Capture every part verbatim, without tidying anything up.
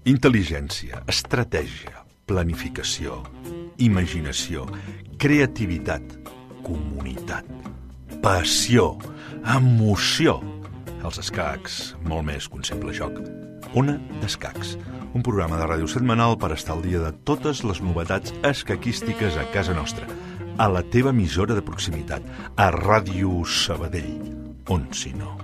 Intel·ligència, estratègia, planificació, imaginació, creativitat, comunitat, passió, emoció. Els escacs, molt més que un simple joc. Ona d'Escacs, un programa de ràdio setmanal per estar al dia de totes les novetats escaquístiques a casa nostra, a la teva emissora de proximitat, a Ràdio Sabadell, on si no.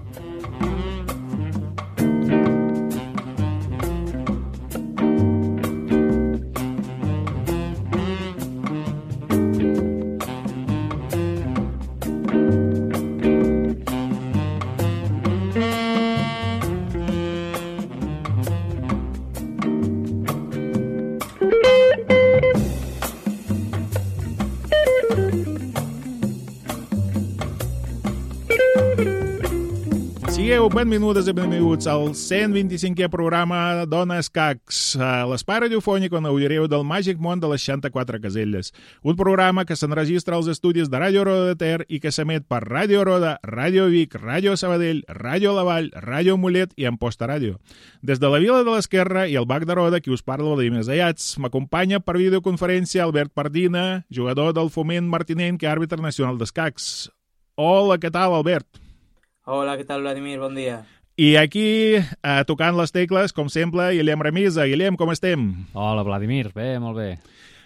Benvingudes i benvinguts al cent vint-i-cinquè programa d'Ona Escacs, l'espai radiofònic on gaudireu del màgic món de les seixanta-quatre caselles. Un programa que s'enregistra als estudis de Ràdio Roda de Ter i que s'emet per Ràdio Roda, Ràdio Vic, Ràdio Sabadell, Ràdio La Vall, Ràdio Mollet i Amposta Ràdio. Des de la Vila de l'Esquerra i el Bac de Roda, qui us parla Vladimir Zayats, m'acompanya per videoconferència Albert Pardina, jugador del Foment Martinenc i àrbitre nacional d'escacs. Hola, què tal, Albert? Hola, què tal, Vladimir? Bon dia. I aquí, eh, tocant les tecles, com sempre, Guillem Remisa. Guillem, com estem? Hola, Vladimir. Bé, molt bé.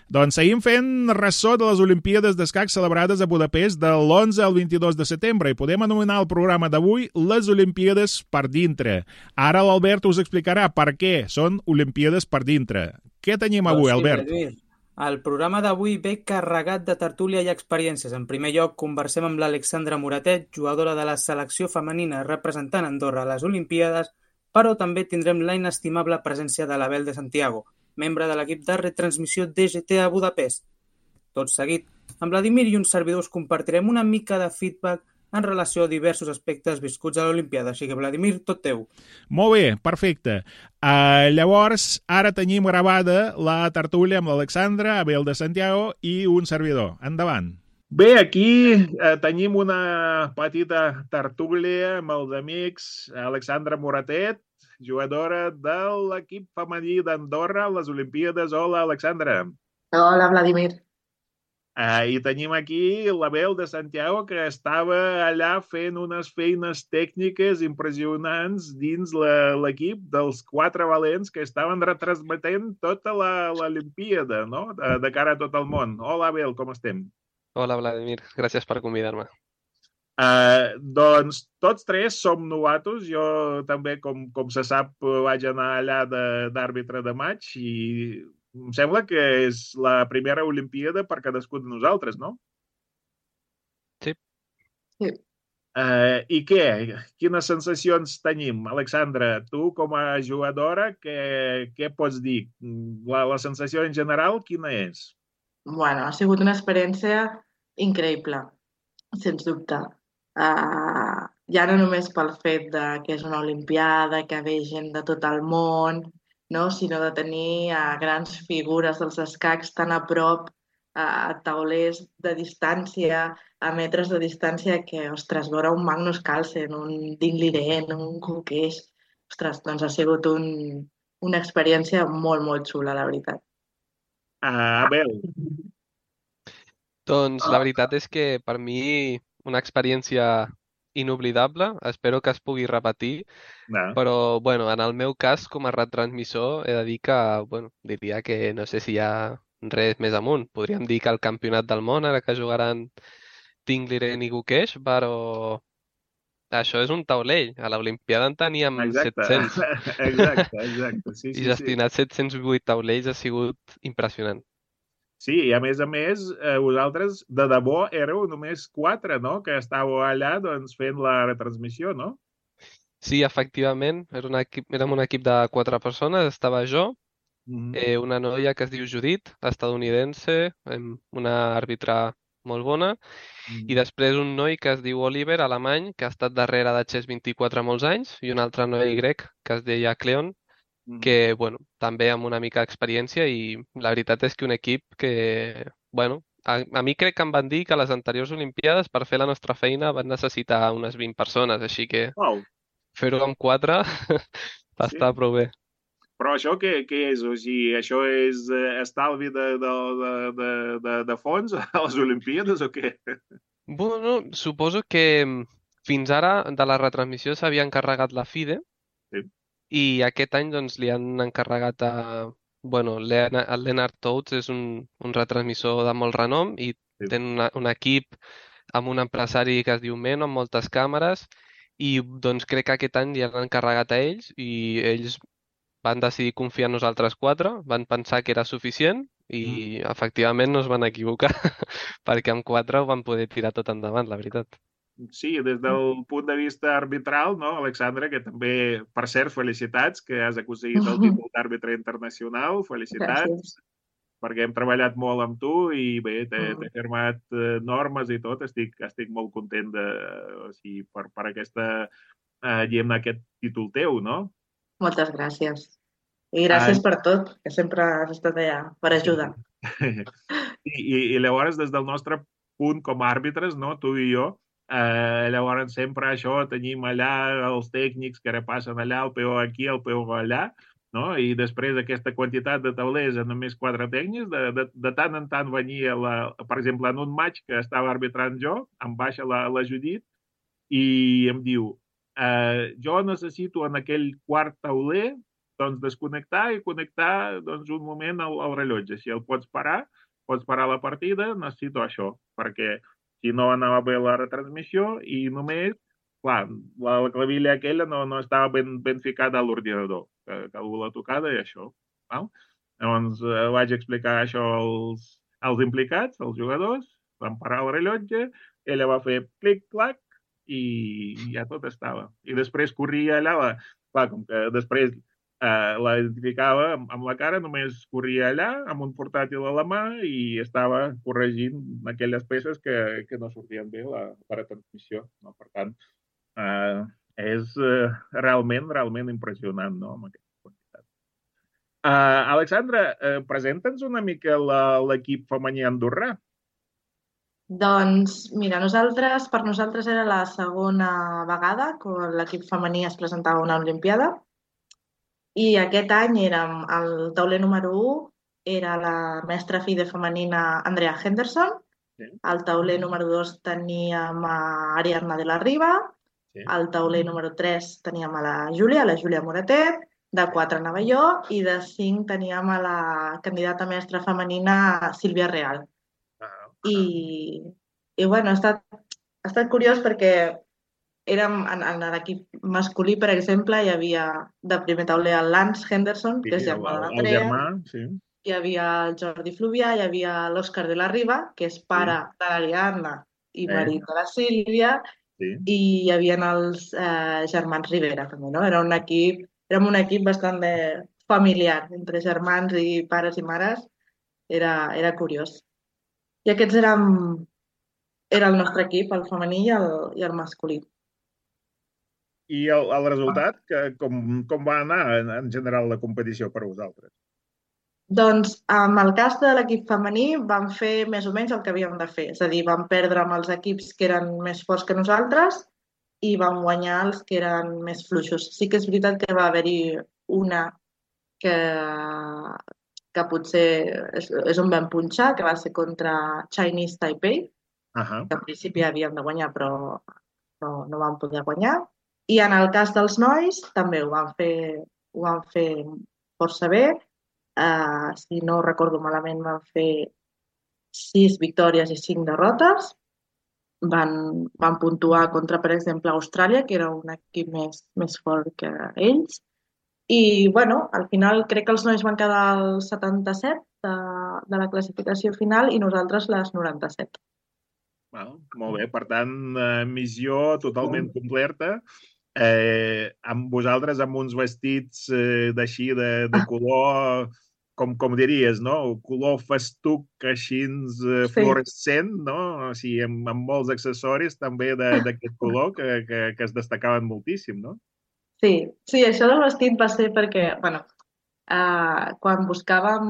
Doncs seguim fent ressò de les Olimpíades d'Escacs celebrades a Budapest de l'onze al vint-i-dos de setembre i podem anomenar el programa d'avui les Olimpíades per dintre. Ara l'Albert us explicarà per què són Olimpíades per dintre. Què tenim avui, sí, Albert? Vladimir. El programa d'avui ve carregat de tertúlia i experiències. En primer lloc, conversem amb l'Alexandra Moratet, jugadora de la selecció femenina representant Andorra a les Olimpíades, però també tindrem la inestimable presència de l'Abel de Santiago, membre de l'equip de retransmissió D G T a Budapest. Tot seguit, amb Vladimir i uns servidors compartirem una mica de feedback en relació a diversos aspectes viscuts a l'Olimpiada. Així que, Vladimir, tot teu. Molt bé, perfecte. Uh, llavors, ara tenim gravada la tertúlia amb l'Alexandra, Abel de Santiago i un servidor. Endavant. Bé, aquí eh, tenim una petita tertúlia amb els amics Alexandra Moratet, jugadora de l'equip femení d'Andorra a les Olimpíades. Hola, Alexandra. Hola, Vladimir. Uh, I tenim aquí l'Abel de Santiago, que estava allà fent unes feines tècniques impressionants dins l'equip dels quatre valents que estaven retransmetent tota l'Olimpíada, no? de, de cara a tot el món. Hola, Abel, com estem? Hola, Vladimir. Gràcies per convidar-me. Uh, doncs tots tres som novatos. Jo també, com, com se sap, vaig anar allà d'àrbitre de, de maig i em sembla que és la primera Olimpíada per cadascú de nosaltres, no? Sí. Sí. Uh, I què? Quines sensacions tenim? Alexandra, tu com a jugadora, què, què pots dir? La, la sensació en general, quina és? Bueno, ha sigut una experiència increïble, sens dubte. Uh, ja no només pel fet de que és una Olimpiada, que ve gent de tot el món, no? Sinó de tenir uh, grans figures dels escacs tan a prop, uh, a taulers de distància, a metres de distància, que, ostres, veure un Magnus Carlsen, un Dean Liren, un Kukesh, ostres, doncs ha sigut un, una experiència molt, molt xula, la veritat. Uh, Abel. Doncs la veritat és que per mi una experiència inoblidable, espero que es pugui repetir, no. Però bueno, en el meu cas com a retransmissor he de dir que, bueno, diria que no sé si hi ha res més amunt. Podríem dir que el campionat del món, ara que jugaran Dean Liren i Kukesh, però això és un taulell. A l'Olimpiada en teníem exacte. set-cents. Exacte, exacte. Sí, sí, I gestionar sí. set-cents vuit taulells ha sigut impressionant. Sí, i a més a més, eh, vosaltres de debò éreu només quatre, no?, que estàveu allà doncs, fent la retransmissió, no? Sí, efectivament, era un equip, érem un equip de quatre persones, estava jo, mm-hmm. eh, una noia que es diu Judit, estadounidense, una àrbitra molt bona, mm-hmm. i després un noi que es diu Oliver, alemany, que ha estat darrere de Chess vint-i-quatre molts anys, i un altre noi grec que es deia Cleon, que, bueno, també amb una mica d'experiència i la veritat és que un equip que, bueno, a, a mi crec que em van dir que a les anteriors Olimpiades per fer la nostra feina van necessitar unes vint persones, així que Wow, fer-ho amb quatre va sí. estar prou bé. Però això què, què és? O sigui, això és eh, estalvi de, de, de, de, de, de fons a les Olimpíades o què? Bueno, suposo que mm, fins ara de la retransmissió s'havia encarregat la FIDE Sí. i aquest any doncs li han encarregat a... Bueno, Leon- el Leonard Toads és un, un retransmissor de molt renom i Sí. té una, un equip amb un empresari que es diu Meno, amb moltes càmeres, i doncs crec que aquest any li han encarregat a ells i ells van decidir confiar en nosaltres quatre, van pensar que era suficient i efectivament no es van equivocar perquè amb quatre ho van poder tirar tot endavant, la veritat. Sí, des del punt de vista arbitral, no, Alexandra, que també, per cert, felicitats, que has aconseguit el títol d'àrbitre internacional, felicitats, Gràcies. perquè hem treballat molt amb tu i bé, t'he Mm. t'he firmat eh, normes i tot, estic, estic molt content de, o sigui, per, per aquesta, eh, diguem aquest títol teu, no? Moltes gràcies. I gràcies per tot, que sempre has estat allà per ajudar. I, i, I llavors, des del nostre punt com a àrbitres, no, tu i jo, eh, llavors sempre això tenim allà els tècnics que repassen allà, el peó aquí, el peó allà, no? I després aquesta quantitat de taulers en només quatre tècnics, de, de, de tant en tant venia, la, per exemple, en un match que estava arbitrant jo, em baixa la, la Judit i em diu, eh, jo necessito en aquell quart tauler doncs desconnectar i connectar doncs, un moment al, al rellotge. Si el pots parar, pots parar la partida, necessito això, perquè si no anava bé la retransmissió i només, clar, la, la clavilla aquella no, no estava ben, ben ficada a l'ordinador, que, que algú l'ha tocada i això. Val? Llavors eh, vaig explicar això als, als implicats, als jugadors, van parar el rellotge, ella va fer clic-clac i ja tot estava. I després corria allà, la, clar, com que després eh, la identificava amb, amb la cara, només corria allà amb un portàtil a la mà i estava corregint aquelles peces que, que no sortien bé la, la retransmissió. No? Per tant, eh, és eh, realment, realment impressionant, no?, amb aquesta quantitat. Uh, Alexandra, uh, presenta'ns una mica la- l'equip femení andorrà. Doncs, mira, nosaltres, per nosaltres era la segona vegada que l'equip femení es presentava a una Olimpiada i aquest any érem el tauler número u, era la mestra FIDE femenina Andrea Henderson, Sí. al tauler número dos teníem a Ariadna de la Riva, Sí. al tauler número tres teníem a la Júlia, la Júlia Moratet, de quatre anava jo i de cinc teníem a la candidata mestra femenina Sílvia Real. Ah, I, i bueno, ha estat, ha estat curiós perquè érem en, en l'equip masculí, per exemple, hi havia de primer tauler el Lance Henderson, sí, que és el, germà de el, el l'Andrea, germà, sí. hi havia el Jordi Fluvià, hi havia l'Òscar de la Riva, que és pare de l'Ariadna i Eh. marit de la Sílvia, Sí. i hi havia els eh, germans Rivera, també, no? Era un equip, érem un equip bastant de familiar, entre germans i pares i mares, era, era curiós. I aquests érem, era el nostre equip, el femení i el, i el masculí. I el, el resultat, que, com, com va anar en, en general la competició per vosaltres? Doncs amb el cas de l'equip femení vam fer més o menys el que havíem de fer. És a dir, vam perdre amb els equips que eren més forts que nosaltres i vam guanyar els que eren més fluixos. Sí que és veritat que va haver-hi una que, que potser és, és on vam punxar, que va ser contra Chinese Taipei, Ahà. que en principi havíem de guanyar però no, no vam poder guanyar. I en el cas dels nois també ho van fer, ho van fer força bé. Uh, si no recordo malament, van fer sis victòries i cinc derrotes. Van, van puntuar contra, per exemple, Austràlia, que era un equip més, més fort que ells. I, bueno, al final crec que els nois van quedar al setanta-set de, de la classificació final i nosaltres les noranta-set. Val, molt bé, per tant, eh, missió totalment completa. Eh, amb vosaltres amb uns vestits eh, d'així de, de color, com, com diries, no? Color festuc així eh, Sí. fluorescent, no? O sigui, amb, amb molts accessoris també de- d'aquest color que, que, que es destacaven moltíssim, no? Sí, sí, això del vestit va ser perquè, bueno, uh, quan buscàvem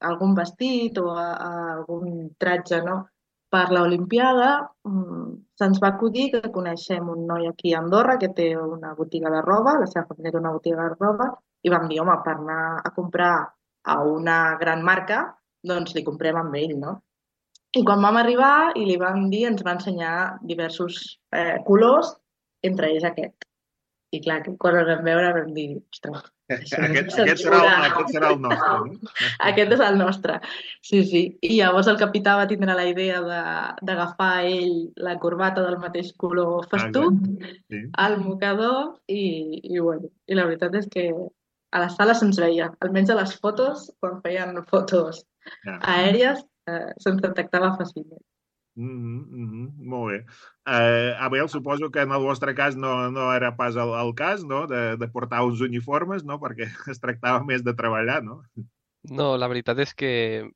algun vestit o a, a algun tratge, no? Per l'Olimpiada mm, se'ns va acudir que coneixem un noi aquí a Andorra que té una botiga de roba, la seva família té una botiga de roba, i vam dir, home, per anar a comprar a una gran marca, doncs li comprem amb ell, no? I quan vam arribar i li vam dir, ens va ensenyar diversos eh, colors, entre ells aquest. I clar, que quan el vam veure vam dir, ostres, això no Aquest, és aquest, serà el, censura. aquest serà el nostre, no? Aquest és el nostre. Sí, sí. I llavors el capità va tindre la idea de- d'agafar ell la corbata del mateix color Ah, festuc, sí. el mocador, i, i, bueno, i la veritat és que a la sala se'ns veia, almenys a les fotos, quan feien fotos Ja. aèries, eh, se'ns detectava fàcilment. Mm -hmm, molt bé. Uh, Abel, suposo que en el vostre cas no, no era pas el, el cas, no?, de, de portar uns uniformes, no?, perquè es tractava més de treballar, no? No, la veritat és que...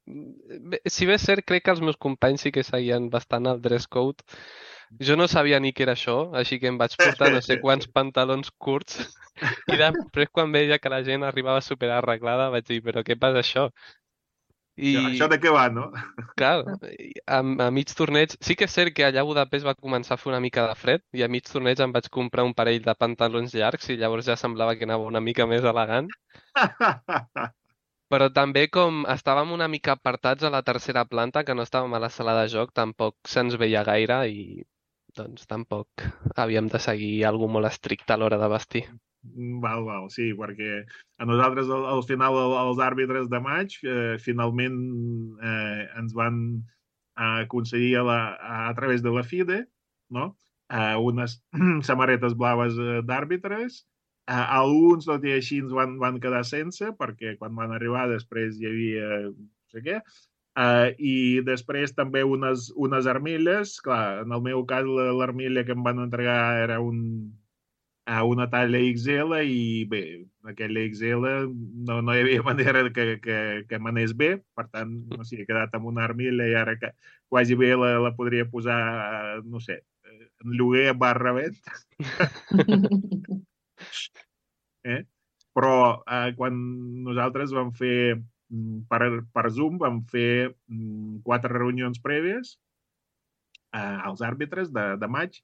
Bé, si bé és cert, crec que els meus companys sí que seguien bastant el dress code. Jo no sabia ni què era això, així que em vaig portar no sé quants pantalons curts i després quan veia que la gent arribava super arreglada vaig dir, però què passa això? I... Això I, de què va, no? clar, a, a mig torneig... Sí que és cert que allà a Budapest va començar a fer una mica de fred i a mig torneig em vaig comprar un parell de pantalons llargs i llavors ja semblava que anava una mica més elegant. Però també com estàvem una mica apartats a la tercera planta, que no estàvem a la sala de joc, tampoc se'ns veia gaire i doncs tampoc havíem de seguir algú molt estricte a l'hora de vestir. Val, val, sí, perquè a nosaltres al, al final els àrbitres de maig eh, finalment eh, ens van aconseguir a, la, a, a través de la FIDE, no?, eh, unes samarretes blaves d'àrbitres. Eh, alguns, tot i així, ens van, van quedar sense, perquè quan van arribar després hi havia no sé què. Uh, i després també unes, unes armilles. Clar, en el meu cas l'armilla que em van entregar era un, a una talla X L i bé, aquella X L no, no hi havia manera que, que, que m'anés bé, per tant, no sé, he quedat amb una armilla i ara que quasi bé la, la podria posar, no sé, en lloguer barra venda. eh? Però eh, quan nosaltres vam fer per, per Zoom vam fer quatre reunions prèvies eh, als àrbitres de, de maig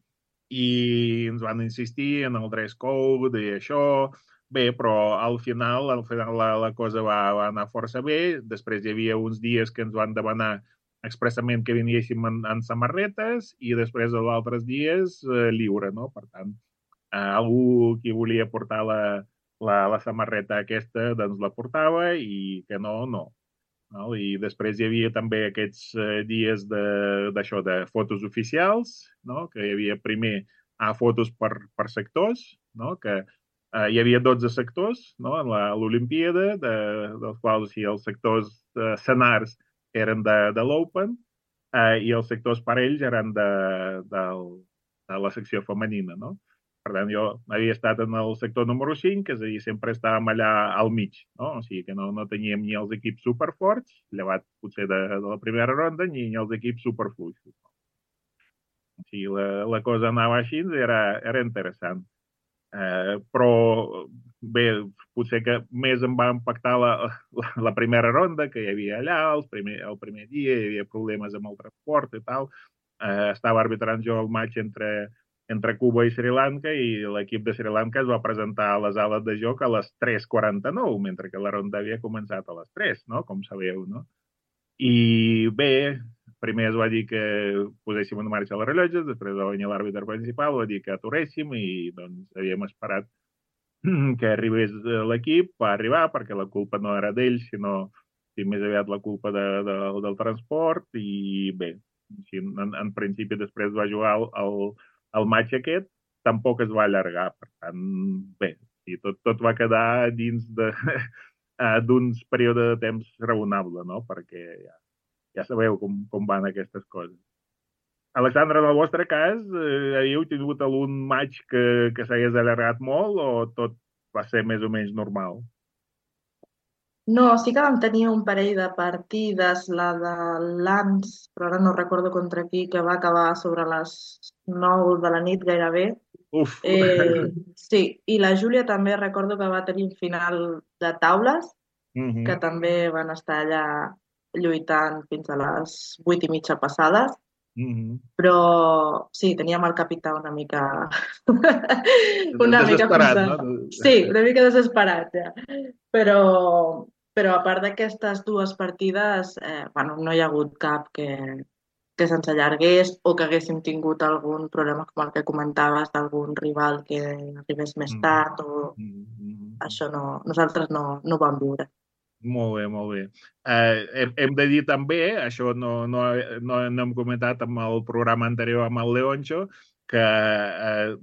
i ens van insistir en el dress code i això. Bé, però al final, al final la, la cosa va, va anar força bé. Després hi havia uns dies que ens van demanar expressament que viniéssim en, en samarretes i després els altres dies eh, lliure, no? Per tant, eh, algú qui volia portar la, la, la samarreta aquesta doncs la portava i que no, no. No? I després hi havia també aquests eh, dies d'això, de, de fotos oficials, no? Que hi havia primer a fotos per, per sectors, no? Que eh, hi havia dotze sectors, no? En l'Olimpíada, de, dels quals sí, els sectors eh, senars eren de, de l'Open eh, i els sectors parells eren de, de, de la secció femenina, no? Per tant, jo havia estat en el sector número cinc, és a dir, sempre estàvem allà al mig, no? O sigui que no, no teníem ni els equips superforts, llevat potser de, de la primera ronda, ni els equips superfluixos. O sigui, la, la cosa anava així, era, era interessant. Eh, però, bé, potser que més em va impactar la, la, la primera ronda, que hi havia allà, el primer, el primer dia, hi havia problemes amb el transport i tal. Eh, estava arbitrant jo el maig entre entre Cuba i Sri Lanka i l'equip de Sri Lanka es va presentar a les ales de joc a les tres quaranta-nou, mentre que la ronda havia començat a les tres, no? Com sabeu, no? I bé, primer es va dir que poséssim en marxa els rellotges, després va venir l'àrbitre principal, va dir que aturéssim i doncs havíem esperat que arribés l'equip, va arribar perquè la culpa no era d'ell, sinó sí, més aviat la culpa de, de, del transport i bé, en, en principi després va jugar el, el el maig aquest tampoc es va allargar, per tant, bé, i tot, tot va quedar dins d'uns períodes de temps raonable, no? Perquè ja, ja sabeu com, com van aquestes coses. Alexandra, en el vostre cas, eh, havíeu tingut algun maig que, que s'hagués allargat molt o tot va ser més o menys normal? No, sí que vam tenir un parell de partides, la de l'Ans, però ara no recordo contra qui, que va acabar sobre les nou de la nit gairebé. Uf! Eh, sí, i la Júlia també recordo que va tenir un final de taules, Mhm. que també van estar allà lluitant fins a les vuit i mitja passades. Mhm. Però sí, teníem el capità una mica... una mica Desesperat, fins a... no? Sí, una mica desesperat, ja. Però, però a part d'aquestes dues partides, eh, bueno, no hi ha hagut cap que, que se'ns allargués o que haguéssim tingut algun problema com el que comentaves d'algun rival que arribés més Mhm. tard o Mhm. això no, nosaltres no, no ho vam viure. Molt bé, molt bé. Eh, hem, hem de dir també, això no, no, no, no hem comentat amb el programa anterior amb el Leoncho, que eh,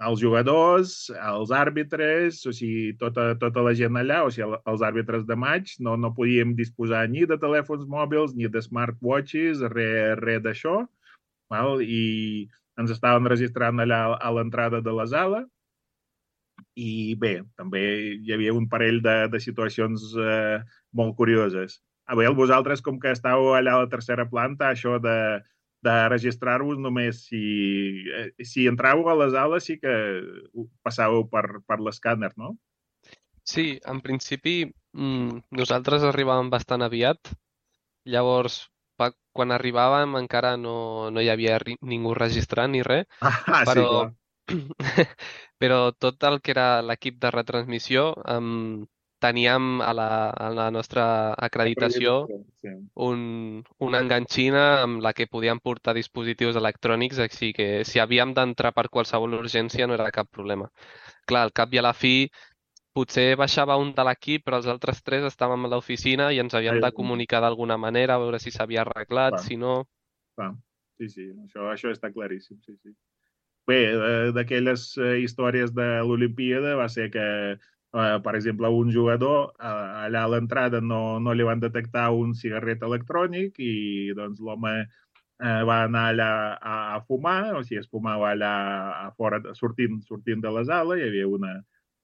els jugadors, els àrbitres, o sigui, tota, tota la gent allà, o sigui, els àrbitres de maig, no, no podíem disposar ni de telèfons mòbils, ni de smartwatches, res, res d'això, val? I ens estaven registrant allà a l'entrada de la sala, i bé, també hi havia un parell de, de situacions eh, molt curioses. A veure, vosaltres, com que estàveu allà a la tercera planta, això de, de registrar-vos només si, eh, si entràveu a les ales sí que passàveu per, per l'escàner, no? Sí, en principi mm, nosaltres arribàvem bastant aviat, llavors pa, quan arribàvem encara no, no hi havia ri, ningú registrant ni res, Ah, sí, però, clar. però tot el que era l'equip de retransmissió um, teníem a la, a la nostra acreditació Sí. un, una enganxina amb la que podíem portar dispositius electrònics, així que si havíem d'entrar per qualsevol urgència no era cap problema. Clar, al cap i a la fi potser baixava un de l'equip, però els altres tres estàvem a l'oficina i ens havíem Ah, de comunicar d'alguna manera, a veure si s'havia arreglat, clar, si no... clar. Sí, sí, això, això està claríssim, sí, sí. Bé, eh, d'aquelles eh, històries de l'Olimpíada va ser que, eh, per exemple, un jugador eh, allà a l'entrada no, no li van detectar un cigarret electrònic i doncs l'home eh, va anar allà a, a fumar, o sigui, es fumava allà a fora, sortint, sortint de la sala, hi havia una,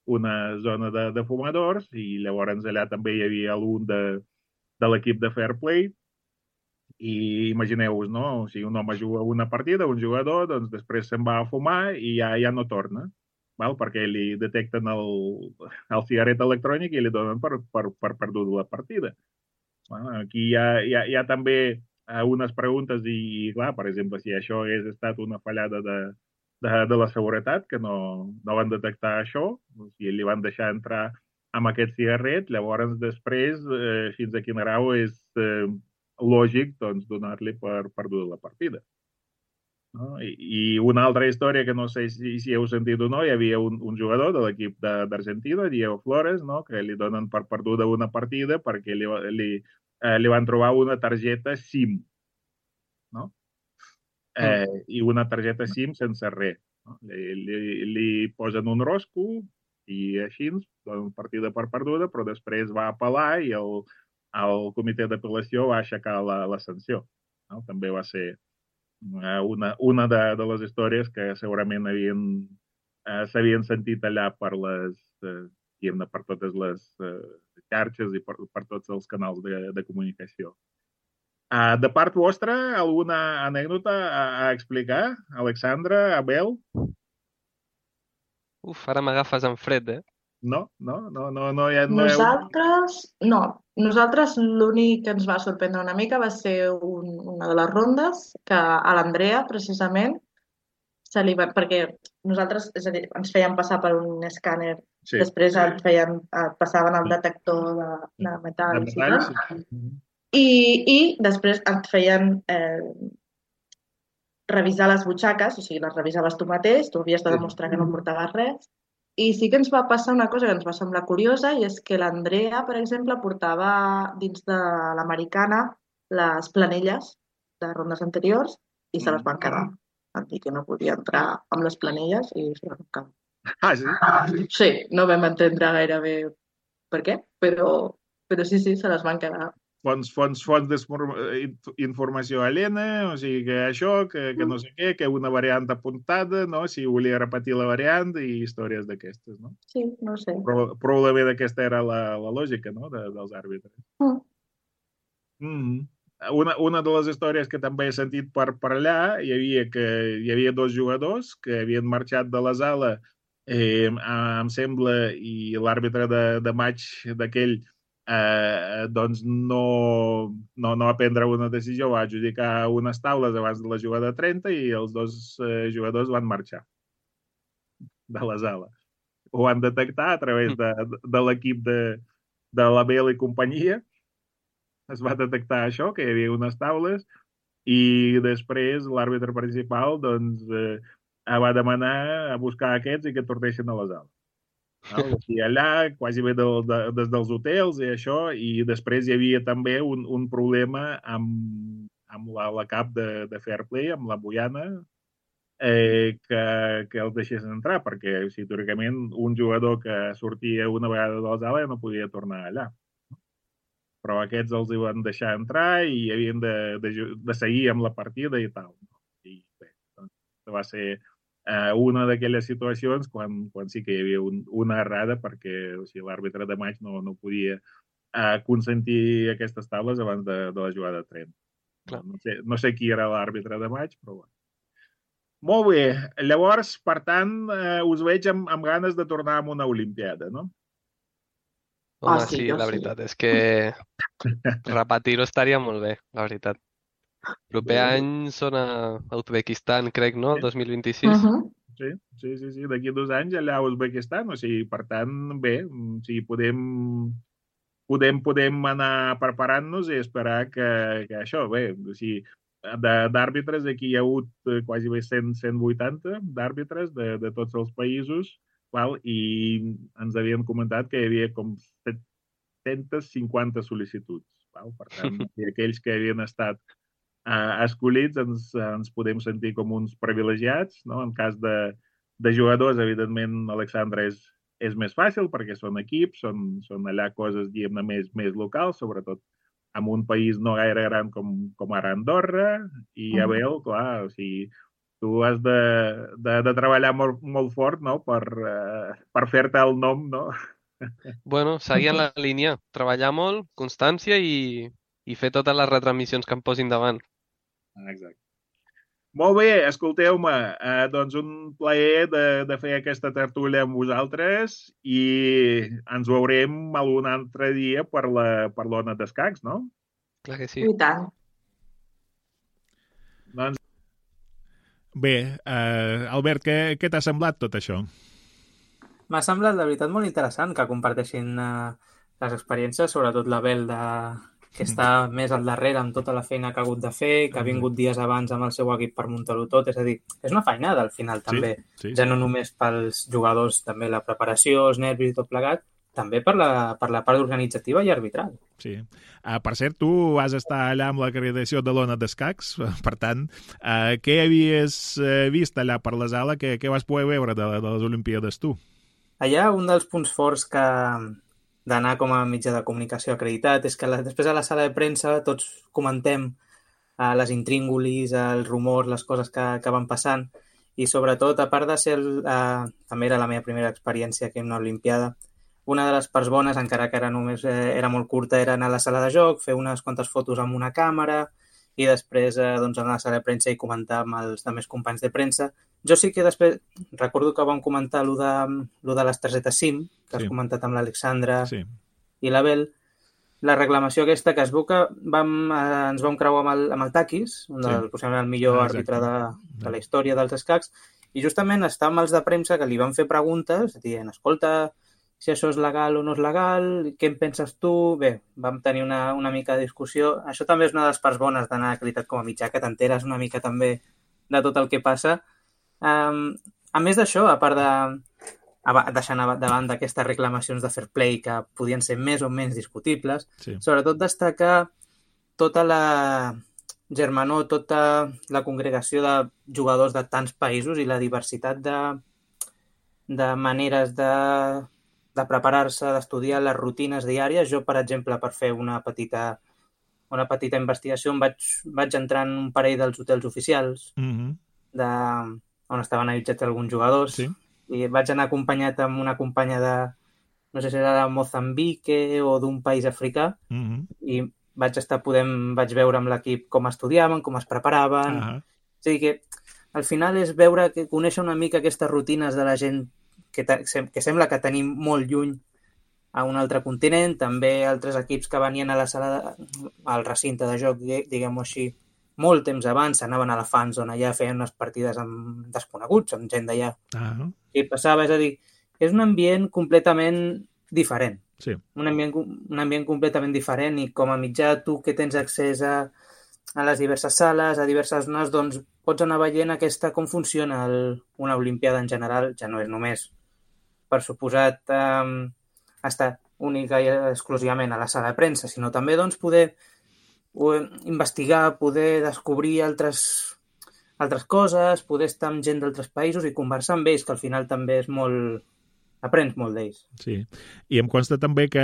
una zona de, de fumadors i llavors allà també hi havia algun de, de l'equip de Fair Play i imagineu-vos, no? O sigui, un home juga una partida, un jugador, doncs després se'n va a fumar i ja, ja no torna, val? Perquè li detecten el, el cigaret electrònic i li donen per, per, per perdut la partida. Bueno, aquí hi ha, hi ha, hi ha també eh, unes preguntes i, clar, per exemple, si això hagués estat una fallada de, de, de la seguretat, que no, no van detectar això, o sigui, li van deixar entrar amb aquest cigarret, llavors després, eh, fins a quin grau és eh, lògic doncs, donar-li per perduda la partida. No? I, I una altra història que no sé si, si heu sentit o no, hi havia un, un jugador de l'equip d'Argentina, Diego Flores, no? Que li donen per perduda una partida perquè li, li, eh, li van trobar una targeta SIM, no? Eh, mm. I una targeta SIM sense res. No? Li, li, li posen un rosco i així donen partida per perduda, però després va apel·lar i el, el comitè d'apel·lació va aixecar la, la sanció. No? També va ser una, una de, de les històries que segurament havien eh, s'havien sentit allà per les eh, per totes les eh, xarxes i per, per tots els canals de, de comunicació. Uh, de part vostra, alguna anècdota a, a explicar? Alexandra, Abel? Uf, ara m'agafes en fred, eh? No, no, no, no, no, ja, no Nosaltres, no. Nosaltres l'únic que ens va sorprendre una mica va ser un, una de les rondes que a l'Andrea, precisament, se li va, perquè nosaltres, és a dir, ens feien passar per un escàner, sí. Després ens feien, passaven el detector de, de metalls, de metalls i tal, sí. I, i després et feien eh, revisar les butxaques, o sigui, les revisaves tu mateix, tu havies de demostrar que no portaves res. I sí que ens va passar una cosa que ens va semblar curiosa i és que l'Andrea, per exemple, portava dins de l'americana les planelles de rondes anteriors i se les van quedar. Van dir que no podia entrar amb les planelles i se les van quedar. Ah, sí? Sí, no vam entendre gaire bé per què, però, però sí, sí, se les van quedar. Fons, fons, fons d'informació aliena, o sigui que això, que, que no sé què, que una variant apuntada, no? Si volia repetir la variant i històries d'aquestes, no? Sí, no sé. Però, probablement aquesta era la, la lògica, no?, de, dels àrbitres. Mm. Mm. Una, una de les històries que també he sentit per, per allà, hi havia, que, hi havia dos jugadors que havien marxat de la sala, eh, em sembla, i l'àrbitre de, de maig d'aquell eh, doncs no, no, no va prendre una decisió, va adjudicar unes taules abans de la jugada trenta i els dos eh, jugadors van marxar de la sala. Ho van detectar a través de, de l'equip de, de la Bell i companyia. Es va detectar això, que hi havia unes taules, i després l'àrbitre principal doncs, eh, va demanar a buscar aquests i que tornessin a la sala. No? I allà, quasi bé del, de, des dels hotels i això, i després hi havia també un, un problema amb, amb la, la cap de, de Fair Play, amb la Boiana, eh, que, que els deixessin entrar, perquè o sigui, teòricament un jugador que sortia una vegada de la sala ja no podia tornar allà. Però aquests els hi van deixar entrar i havien de, de, de seguir amb la partida i tal. I bé, doncs va ser eh, una d'aquelles situacions quan, quan sí que hi havia un, una errada perquè o sigui, l'àrbitre de maig no, no podia eh, consentir aquestes taules abans de, de la jugada trenta. No, no, sé, no sé qui era l'àrbitre de maig, però bueno. Molt bé. Llavors, per tant, eh, us veig amb, amb ganes de tornar a una Olimpiada, no? Home, Ah, sí, sí, jo la sí. veritat és que repetir-ho estaria molt bé, la veritat. Proper Bé. any són a Uzbekistan, crec, no? El dos mil vint-i-sis. Uh -huh. Sí, sí, sí, sí. D'aquí a dos anys allà a Uzbekistan, o sigui, per tant, bé, o sigui, podem, podem, podem anar preparant-nos i esperar que, que això, bé, o sigui, d'àrbitres, aquí hi ha hagut eh, quasi bé cent, cent vuitanta d'àrbitres de, de tots els països, val? I ens havien comentat que hi havia com set-cents cinquanta sol·licituds. Val? Per tant, aquells que havien estat Uh, escollits ens, ens podem sentir com uns privilegiats, no? En cas de, de jugadors, evidentment, Alexandre és, és més fàcil perquè són equips, són, són allà coses, diguem-ne, més, més locals, sobretot en un país no gaire gran com, com ara Andorra, i a Bel, clar, o sigui, tu has de, de, de treballar molt, molt fort, no?, per, uh, per fer-te el nom, no? Bueno, seguir en la línia, treballar molt, constància i, i fer totes les retransmissions que em posin davant. Exacte. Molt bé, escolteu-me, eh, doncs un plaer de, de fer aquesta tertúlia amb vosaltres i ens veurem algun altre dia per la, per l'Ona d'Escacs, no? Clar que sí. I tant. Doncs... Bé, eh, Albert, què, què t'ha semblat tot això? M'ha semblat, de veritat, molt interessant que comparteixin eh, les experiències, sobretot la Bel, de... que està més al darrere amb tota la feina que ha hagut de fer, que ha vingut dies abans amb el seu equip per muntar-ho tot. És a dir, és una feinada al final, també. Sí, sí. Ja no només pels jugadors, també la preparació, els nervis i tot plegat, també per la, per la part organitzativa i arbitral. Sí. Uh, per cert, tu vas estar allà amb l'acreditació de l'Ona d'Escacs, per tant, uh, què havies uh, vist allà per la sala? Què, què vas poder veure de, de les Olimpíades, tu? Allà, un dels punts forts que d'anar com a mitjà de comunicació acreditat és que la, després a la sala de premsa tots comentem uh, les intríngulis, els rumors, les coses que, que van passant i sobretot, a part de ser, el, uh, també era la meva primera experiència aquí en una Olimpiada, una de les parts bones, encara que era només eh, era molt curta, era anar a la sala de joc, fer unes quantes fotos amb una càmera i després eh, doncs, anar a la sala de premsa i comentar amb els altres companys de premsa. Jo sí que després, recordo que vam comentar allò de, allò de les targetes SIM, que sí. Has comentat amb l'Alexandra sí. I l'Abel, la reclamació aquesta que es veu que vam, eh, ens vam creuar amb el, amb el Takis, un del, sí. Possiblement el millor ah, àrbitre de, de la història dels escacs, i justament està amb els de premsa que li van fer preguntes, dient, escolta, si això és legal o no és legal, què en penses tu? Bé, vam tenir una, una mica de discussió. Això també és una de les parts bones d'anar acreditat com a mitjà, que t'enteres una mica també de tot el que passa. Um, a més d'això, a part de deixant de banda aquestes reclamacions de fair play que podien ser més o menys discutibles, sí. Sobretot destacar tota la germanor, tota la congregació de jugadors de tants països i la diversitat de, de maneres de, de preparar-se, d'estudiar les rutines diàries. Jo, per exemple, per fer una petita, una petita investigació, em vaig, vaig entrar en un parell dels hotels oficials mm-hmm. de, on estaven allotjats alguns jugadors. Sí. I vaig anar acompanyat amb una companya de, no sé si era de Mozambique o d'un país africà, mm-hmm. i vaig estar podent, vaig veure amb l'equip com estudiaven, com es preparaven. Uh-huh. O sigui que al final és veure, que conèixer una mica aquestes rutines de la gent que, te, que sembla que tenim molt lluny a un altre continent, també altres equips que venien a la sala de, al recinte de joc, diguem-ho així, molt temps abans, anaven a la fan zone allà, feien unes partides amb desconeguts, amb gent d'allà. Ah. I passava, és a dir, és un ambient completament diferent. Sí. Un ambient, un ambient completament diferent i com a mitjà tu que tens accés a, a les diverses sales, a diverses zones, doncs pots anar veient aquesta com funciona el, una Olimpiada en general, ja no és només, per suposat, eh, estar única i exclusivament a la sala de premsa, sinó també doncs, poder investigar, poder descobrir altres, altres coses, poder estar amb gent d'altres països i conversar amb ells, que al final també és molt... aprens molt d'ells. Sí, i em consta també que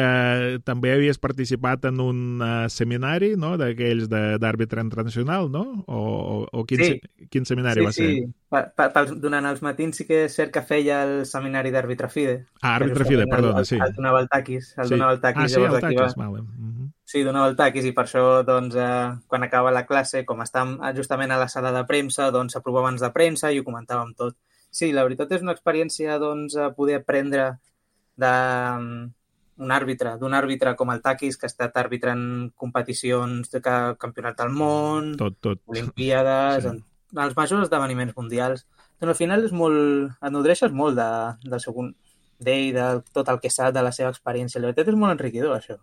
també havies participat en un uh, seminari, no?, d'aquells d'àrbitre internacional, no? O, o, o quin, sí. se, quin seminari sí, va ser? Sí, sí. Durant els matins sí que és cert que feia el seminari d'àrbitre FIDE. Ah, àrbitre FIDE, perdona, el, sí. El donava el taquis. El sí. donava el taquis. Ah, sí, el taquis, va... vale. Uh-huh. Sí, donava el taquis i per això, doncs, eh, quan acaba la classe, com estàvem justament a la sala de premsa, doncs s'aprovava abans de premsa i ho comentàvem tot. Sí, la veritat és una experiència, doncs, a poder aprendre d'un um, àrbitre, d'un àrbitre com el Takis, que ha estat àrbitre en competicions de campionat del món, tot, tot. Olimpiades, sí. en, en els majors esdeveniments mundials. Doncs al final és molt, et nodreixes molt de, del segon d'ell, de tot el que sap, de la seva experiència. La veritat és molt enriquidor, això.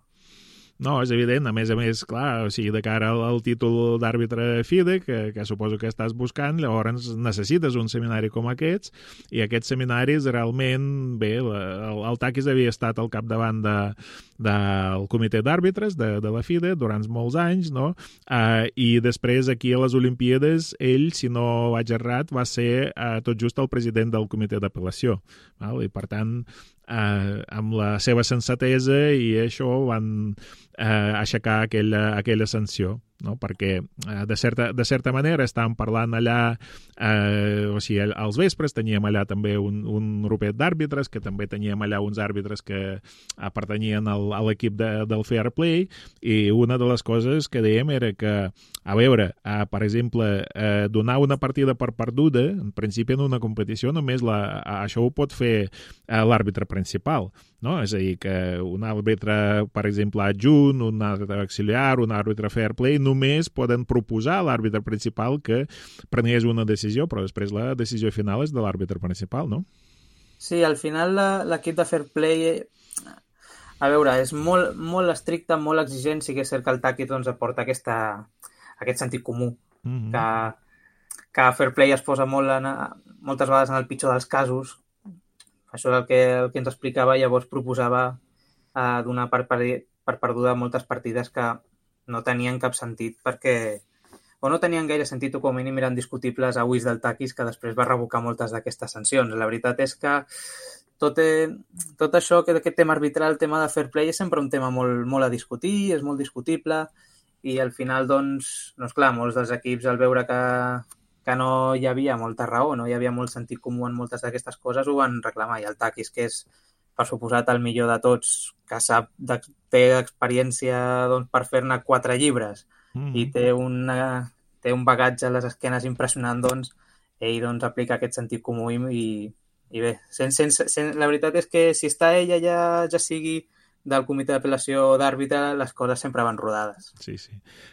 No, és evident. A més a més, clar, o sigui, de cara al, al títol d'àrbitre FIDE, que, que suposo que estàs buscant, llavors necessites un seminari com aquests, i aquests seminaris realment, bé, el, el Takis havia estat al capdavant de, del comitè d'àrbitres de, de la FIDE durant molts anys, no? Uh, I després aquí a les Olimpíades, ell, si no vaig errat, va ser uh, tot just el president del comitè d'apel·lació. Val? I per tant, uh, amb la seva sensatesa i això van eh, aixecar aquella, aquella sanció, no? Perquè eh, de, certa, de certa manera estàvem parlant allà, eh, o sigui, als vespres teníem allà també un, un grupet d'àrbitres, que també teníem allà uns àrbitres que eh, pertanyien al, a l'equip de, del Fair Play, i una de les coses que dèiem era que, a veure, eh, per exemple, eh, donar una partida per perduda, en principi en una competició només la, això ho pot fer eh, l'àrbitre principal, no? És a dir, que un àrbitre, per exemple, adjunt, un àrbitre auxiliar, un àrbitre Fair Play, només poden proposar a l'àrbitre principal que prengués una decisió, però després la decisió final és de l'àrbitre principal, no? Sí, al final l'equip de Fair Play, a veure, és molt, molt estricte, molt exigent, sí que és cert que el Taki doncs, aporta aquesta, aquest sentit comú, mm-hmm. que, que Fair Play es posa molt en, moltes vegades en el pitjor dels casos. Això és el que, el que ens explicava, llavors proposava eh, donar per, per, per perduda moltes partides que no tenien cap sentit perquè o no tenien gaire sentit o com a mínim eren discutibles a ulls del Takis, que després va revocar moltes d'aquestes sancions. La veritat és que tot, eh, tot això, que aquest tema arbitral, el tema de fair play, és sempre un tema molt, molt a discutir, és molt discutible i al final, doncs, no és clar, molts dels equips al veure que, que no hi havia molta raó, no hi havia molt sentit comú en moltes d'aquestes coses, ho van reclamar. I el Takis, que és, per suposat, el millor de tots, que sap, de, té experiència doncs, per fer-ne quatre llibres mm. i té, una, té un bagatge a les esquenes impressionant, doncs, ell doncs, aplica aquest sentit comú i, i bé, sense, sense, sense, la veritat és que si està ella ja, ja sigui del comitè d'apel·lació d'àrbitre, les coses sempre van rodades. Sí, sí.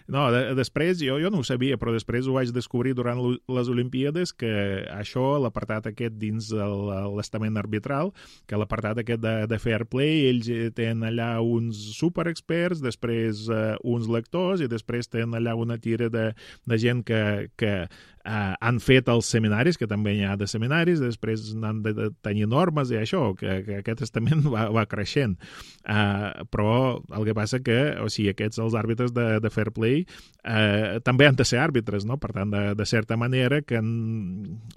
No, de, després, jo, jo no ho sabia, però després ho vaig descobrir durant les Olimpíades, que això, l'apartat aquest dins l'estament arbitral, que l'apartat aquest de, de fair play, ells tenen allà uns superexperts, després uh, uns lectors, i després tenen allà una tira de, de gent que, que uh, han fet els seminaris, que també hi ha de seminaris, després han de, de tenir normes i això, que, que aquest estament va, va creixent. Uh, però el que passa que, o sigui, aquests, els àrbitres de, de fair play, uh, també han de ser àrbitres, no? Per tant, de, de certa manera, que en,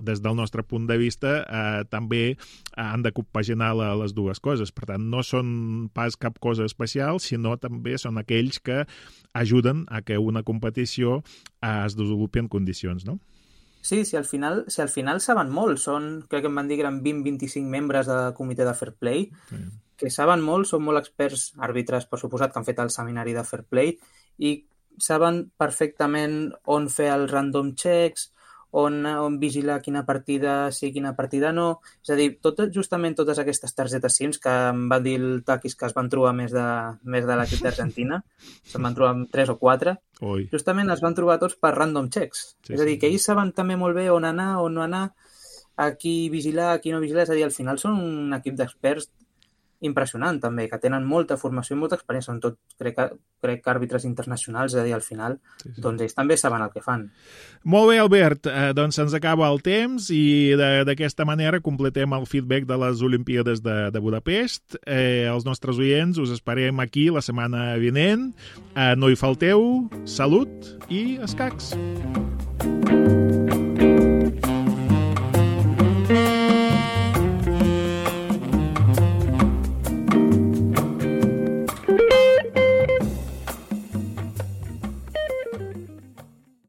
des del nostre punt de vista uh, també han de compaginar la, les dues coses. Per tant, no són pas cap cosa especial, sinó també són aquells que ajuden a que una competició uh, es desenvolupi en condicions, no? Sí, si al final, si al final saben molt, són, crec que em van dir que eren vint a vint-i-cinc membres del comitè de fair play, sí. que saben molt, són molt experts àrbitres, per suposat, que han fet el seminari de fair play i saben perfectament on fer els random checks, on, on vigilar quina partida sí, quina partida no. És a dir, tot, justament totes aquestes targetes SIMs que em va dir el Takis que es van trobar més de, més de l'equip d'Argentina, se'n van trobar tres o quatre, Oi. justament es van trobar tots per random checks. Sí, és a dir, sí. que ells saben també molt bé on anar, on no anar, a qui vigilar, a qui no vigilar. És a dir, al final són un equip d'experts impressionant també, que tenen molta formació i molta experiència, són tot, crec, que, crec que àrbitres internacionals, és a dir, al final, Sí, sí. doncs ells també saben el que fan. Molt bé, Albert, eh, doncs se'ns acaba el temps i de- d'aquesta manera completem el feedback de les Olimpíades de, de Budapest. Eh, els nostres oients us esperem aquí la setmana vinent. Eh, no hi falteu, salut i escacs.